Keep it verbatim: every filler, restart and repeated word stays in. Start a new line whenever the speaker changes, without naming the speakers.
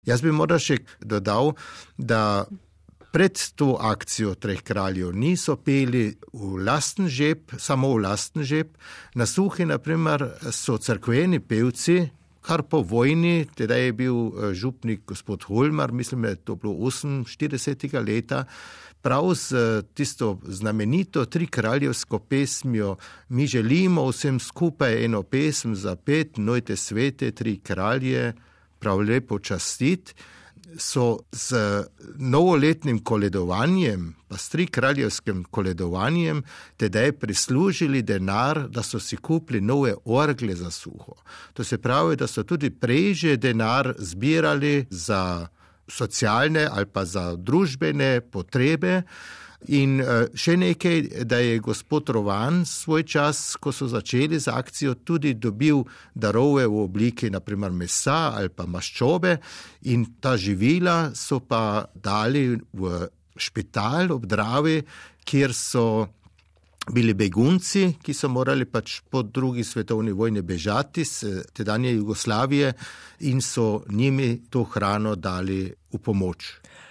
Jaz bi morda še dodal, da pred to akcijo Treh kraljev niso peli v lasten žep, samo v lasten žep. Na Suhi, na primer, so cerkveni pevci, kar po vojni, teda je bil župnik gospod Holmar, mislim, da je to bilo oseminštiridesetega leta, prav z tisto znamenito trikraljevsko pesmijo Mi želimo vsem skupaj eno pesem zapet, nojte svete tri kralje, prav lepo častit, so z novoletnim koledovanjem, pa s trikraljevskim koledovanjem, tedaj prislužili denar, da so si kupili nove orgle za Suho. To se pravi, da so tudi prej že denar zbirali za socialne ali pa za družbene potrebe. In še nekaj, da je gospod Rovan svoj čas, ko so začeli z akcijo, tudi dobil darove v obliki naprimer mesa ali pa maščobe in ta živila so pa dali v špital ob Dravi, kjer so bili begunci, ki so morali pač po drugi svetovni vojni bežati z tedanje Jugoslavije in so njimi to hrano dali v pomoč.